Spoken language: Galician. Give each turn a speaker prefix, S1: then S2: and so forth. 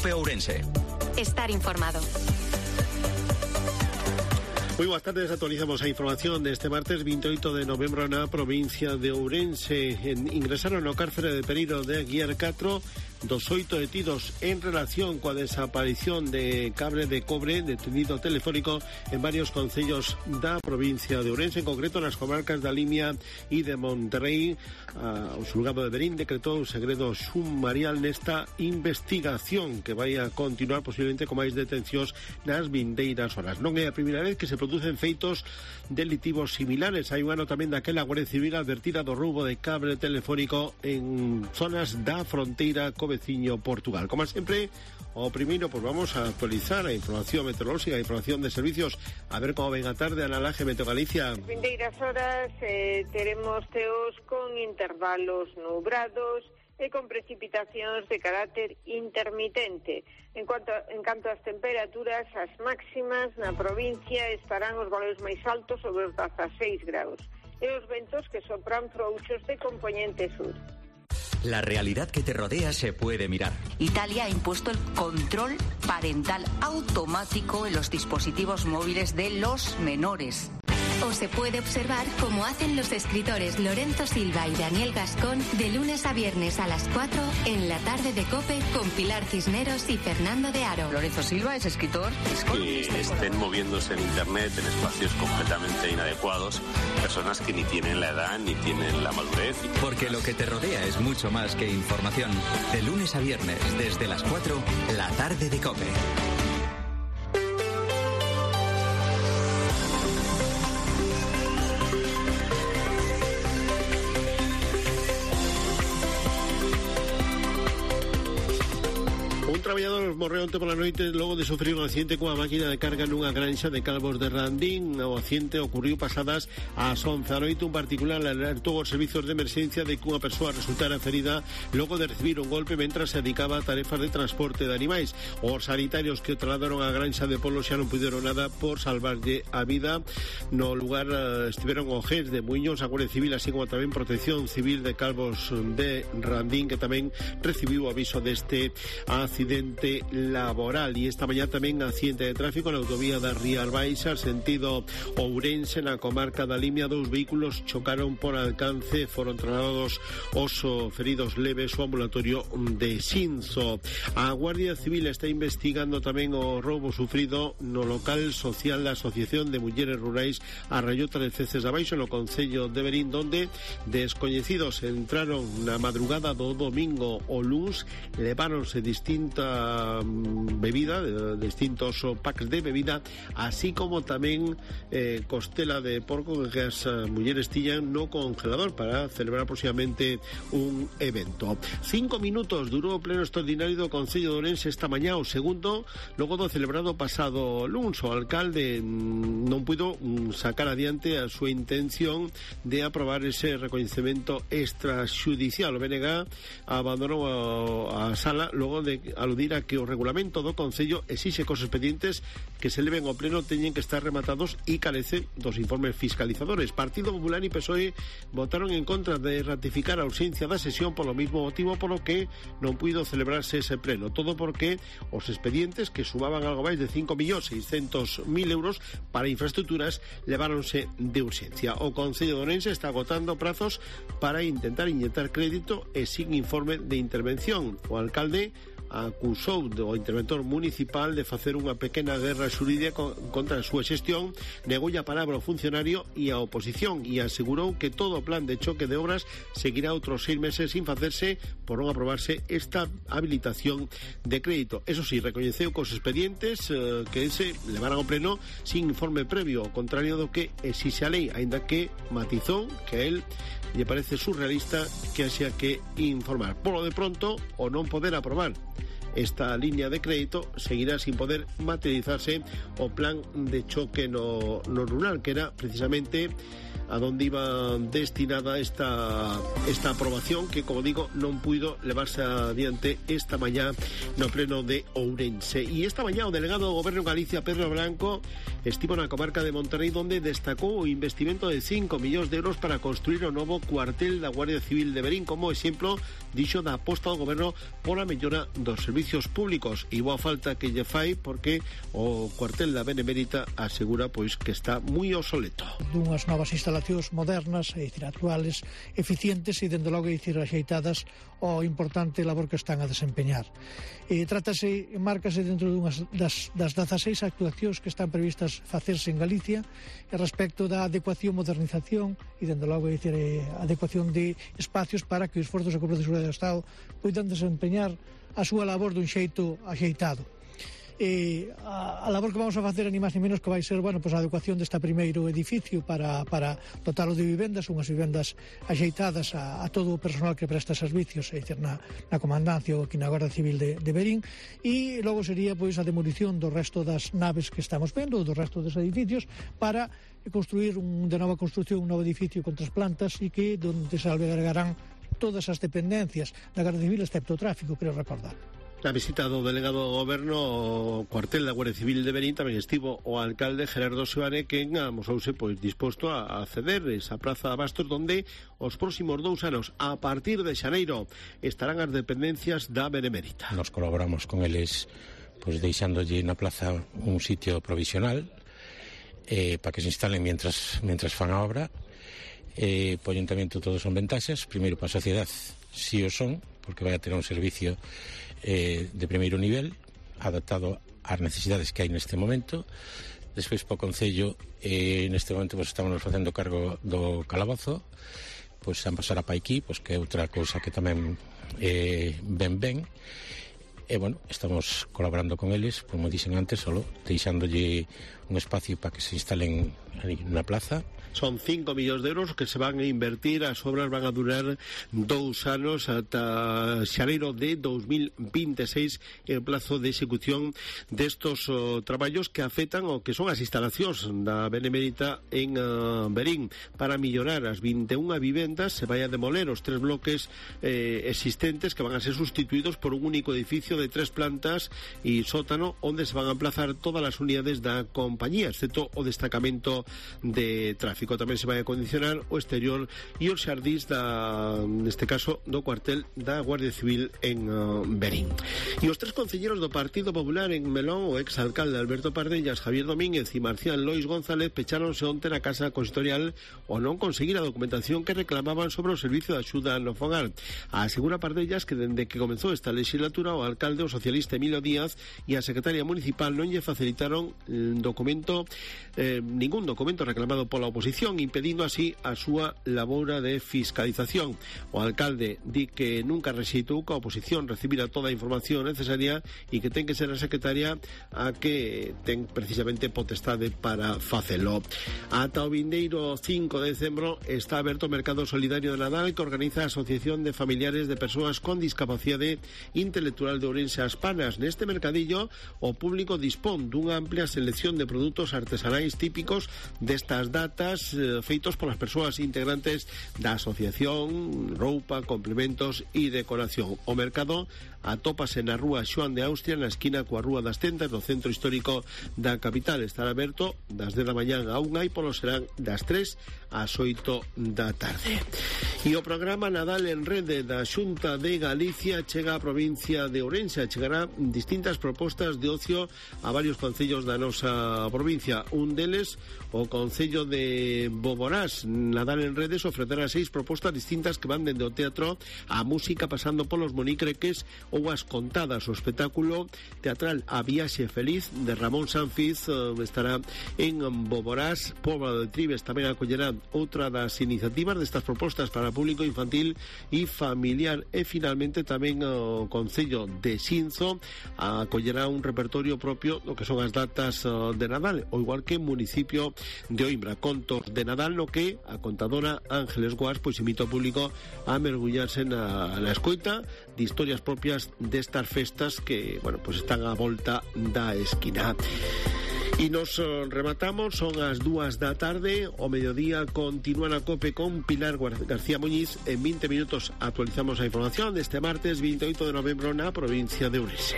S1: COPE Ourense.
S2: Estar informado.
S3: Muy buenas tardes, actualizamos a información de este martes 28 de novembro na provincia de Ourense. Ingresaron ao cárcere de Pereiro de Aguiar 4 dos 8 detidos en relación coa desaparición de cable de cobre detenido telefónico en varios concellos da provincia de Ourense, en concreto nas comarcas da Limia e de Monterrey. O xulgado de Verín decretou o segredo sumarial nesta investigación que vai a continuar posiblemente con máis detencións nas vindeiras horas. Non é a primeira vez que se producen feitos delitivos similares. Hai un ano tamén daquela Guardia Civil advertida do roubo de cable telefónico en zonas da fronteira co veciño Portugal. Como sempre, o primeiro, pues vamos a actualizar a información meteorológica, a información de servicios, a ver como ven a tarde a Laje Meteo Galicia.
S4: As vindeiras horas teremos teos con intervalos nubrados e con precipitacións de carácter intermitente. En canto ás temperaturas, as máximas na provincia estarán os valores máis altos sobre os 16 graus e os ventos que sopran frouxos de compoñente sur.
S1: La realidad que te rodea se puede mirar.
S5: Italia ha impuesto el control parental automático en los dispositivos móviles de los menores.
S2: O se puede observar como hacen los escritores Lorenzo Silva y Daniel Gascón de lunes a viernes a las 4 en la tarde de COPE con Pilar Cisneros y Fernando de Aro.
S5: Lorenzo Silva es escritor.
S6: Que estén moviéndose en internet en espacios completamente inadecuados, personas que ni tienen la edad ni tienen la madurez.
S1: Porque lo que te rodea es mucho más que información. De lunes a viernes, desde las 4, la tarde de COPE.
S3: Un traballador morreu onte pola noite logo de sufrir un accidente cunha máquina de carga nunha granxa de Calvos de Randín. O accidente ocurriu pasadas ás 11 da noite. Un particular alertou os servizos de emerxencia de que unha persoa resultara ferida logo de recibir un golpe mentras se dedicaba a tarefas de transporte de animais. Os sanitarios que o trasladaron á granxa de Polo xa non puderon nada por salvarlle a vida. No lugar estiveron o GES de Muiños, a Guardia Civil, así como tamén Protección Civil de Calvos de Randín, que tamén recibiu o aviso deste accidente laboral. E esta mañá tamén accidente de tráfico na autovía da Rías Baixas, sentido Ourense, na comarca da Limia. Dous vehículos chocaron por alcance, foron trasladados os feridos leves ao ambulatorio de Xinzo. A Guardia Civil está investigando tamén o roubo sufrido no local social da Asociación de Mulleres Rurais a Rayota de Ceces de Abaixo, no concello de Verín, donde descoñecidos entraron na madrugada do domingo o luns, leváronse distinta bebida, distintos packs de bebida, así como tamén costela de porco que as mulleres tiñan no congelador para celebrar próximamente un evento. 5 minutos durou o pleno extraordinario do Concello de Ourense esta mañá, o segundo logo do celebrado pasado luns. O alcalde non puido sacar adiante a súa intención de aprobar ese recoñecemento extraxudicial. O BNG abandonou a sala logo de aludir a que o regulamento do Concello exixe que os expedientes que se leven ao pleno teñen que estar rematados e carece dos informes fiscalizadores. Partido Popular e PSOE votaron en contra de ratificar a ausencia da sesión polo mismo motivo polo que non puido celebrarse ese pleno. Todo porque os expedientes, que sumaban algo máis de 5.600.000 euros para infraestructuras, leváronse de urxencia. O Concello de Ourense está agotando prazos para intentar inyectar crédito e sin informe de intervención. O alcalde acusou do interventor municipal de facer unha pequena guerra xurídica contra a súa xestión, negou a palabra ao funcionario e a oposición e asegurou que todo o plan de choque de obras seguirá outros 6 meses sin facerse por non aprobarse esta habilitación de crédito. Eso sí, recoñeceu que os expedientes que se levaran ao pleno sin informe previo, ao contrario do que exixe a lei, aínda que matizou que a él lle parece surrealista que haxa que informar. Polo de pronto, o non poder aprobar esta línea de crédito, seguirá sin poder materializarse o plan de choque no rural, que era precisamente a donde iba destinada esta aprobación que, como digo, non puido levarse adiante esta mañá no pleno de Ourense. E esta mañá o delegado do Goberno en Galicia, Pedro Blanco, estivo na comarca de Monterrey, donde destacou o investimento de 5 millóns de euros para construir o novo cuartel da Guardia Civil de Verín, como exemplo, dixo, da aposta do Goberno pola mellora dos servicios públicos. E boa falta que lle fai, porque o cuartel da Benemérita asegura pois que está moi obsoleto.
S7: Dunhas novas instalacións modernas, actuales, eficientes e, dende logo, axeitadas ao importante labor que están a desempeñar. Márcase dentro dunhas das 16 actuacións que están previstas facerse en Galicia respecto da adecuación, modernización e, dende logo, adecuación de espacios para que os esforzos de Corpo de Seguridade do Estado poidan desempeñar a súa labor dun xeito axeitado. A labor que vamos a facer ni máis ni menos que vai ser, a adecuación deste primeiro edificio para dotalo de vivendas, unhas vivendas axeitadas a todo o personal que presta servicios, na comandancia ou aquí na Guardia Civil de Verín, e logo sería a demolición do resto das naves que estamos vendo, do resto dos edificios, para construir de nova construcción un novo edificio con 3 plantas e que donde se albergarán todas as dependencias da Guardia Civil, excepto o tráfico, creo recordar.
S3: Na visita do delegado do Goberno ao cuartel da Guardia Civil de Verín tamén estivo o alcalde Gerardo Seoane, que amosouse disposto a ceder esa praza de Abastos, donde os próximos 2 anos, a partir de xaneiro, estarán as dependencias da Benemérita.
S8: Nos colaboramos con eles deixándolle na plaza un sitio provisional para que se instalen mientras fan a obra. O Ayuntamento todo son ventaxas. Primeiro, para a sociedade si o son, porque vai a ter un servicio de primeiro nivel, adaptado ás necesidades que hai neste momento. Despois, para o Concello, neste momento estamos facendo cargo do calabozo, han pasar a Paiquí, que é outra cousa que tamén ben. Estamos colaborando con eles, como dixen antes, solo deixándolle un espacio para que se instalen na plaza.
S3: Son 5 millóns de euros que se van a invertir. As obras van a durar 2 anos ata xaneiro de 2026, el plazo de execución destos traballos que afectan o que son as instalacións da Benemérita en Verín. Para mellorar as 21 vivendas se vai a demoler os 3 bloques existentes, que van a ser sustituídos por un único edificio de 3 plantas e sótano, onde se van a emplazar todas as unidades da compañía, excepto o destacamento de tráfico. Tamén se vai a condicionar o exterior e os xardís neste caso, do cuartel da Guardia Civil en Verín. E os 3 concelleros do Partido Popular en Melón, o exalcalde Alberto Pardellas, Javier Domínguez e Marcial Lois González, pecháronse onte na Casa Consistorial o non conseguir a documentación que reclamaban sobre o servicio de axuda no fogar. Asegura Pardellas que dende que comezou esta legislatura, o alcalde, o socialista Emilio Díaz, e a secretaria municipal non lle facilitaron ningún documento reclamado pola oposición, impedindo así a súa labora de fiscalización. O alcalde di que nunca rexeitou que a oposición recibira toda a información necesaria e que ten que ser a secretaria a que ten precisamente potestade para facelo. Ata o vindeiro 5 de decembro está aberto o Mercado Solidario de Nadal, que organiza a Asociación de Familiares de Persoas con Discapacidade Intelectual de Ourense, As Panas. Neste mercadillo, o público dispón dunha amplia selección de produtos artesanais típicos destas datas, feitos polas persoas integrantes da asociación, roupa, complementos e decoración. O mercado atópase na rúa Xoán de Austria, na esquina coa Rúa das Tentas, do centro histórico da capital. Estará aberto das 10 da mañán a 1 e polo serán das 3 ás 8 da tarde. E o programa Nadal en Rede da Xunta de Galicia chega á provincia de Ourense. Chegará distintas propostas de ocio a varios concellos da nosa provincia. Un deles, o Concello de Boborás. Nadal en Redes ofrecerá 6 propostas distintas que van dende o teatro á música, pasando polos monicreques ou as contadas. O espectáculo teatral A Viaxe Feliz de Ramón Sanfiz estará en Boborás. Póvoa de Tribes tamén acollerá outra das iniciativas destas propostas para público infantil e familiar. E finalmente tamén o Concello de Xinzo acollerá un repertorio propio do que son as datas de Nadal, o igual que o municipio de Oimbra, contos de Nadal, no que a contadora Ángeles Guas invita ao público a mergullarse na escoita de historias propias destas festas que, están á volta da esquina. E nos rematamos, son as 2 da tarde, o mediodía continúa na COPE con Pilar García Muñiz. En 20 minutos actualizamos a información deste martes 28 de novembro na provincia de Ourense.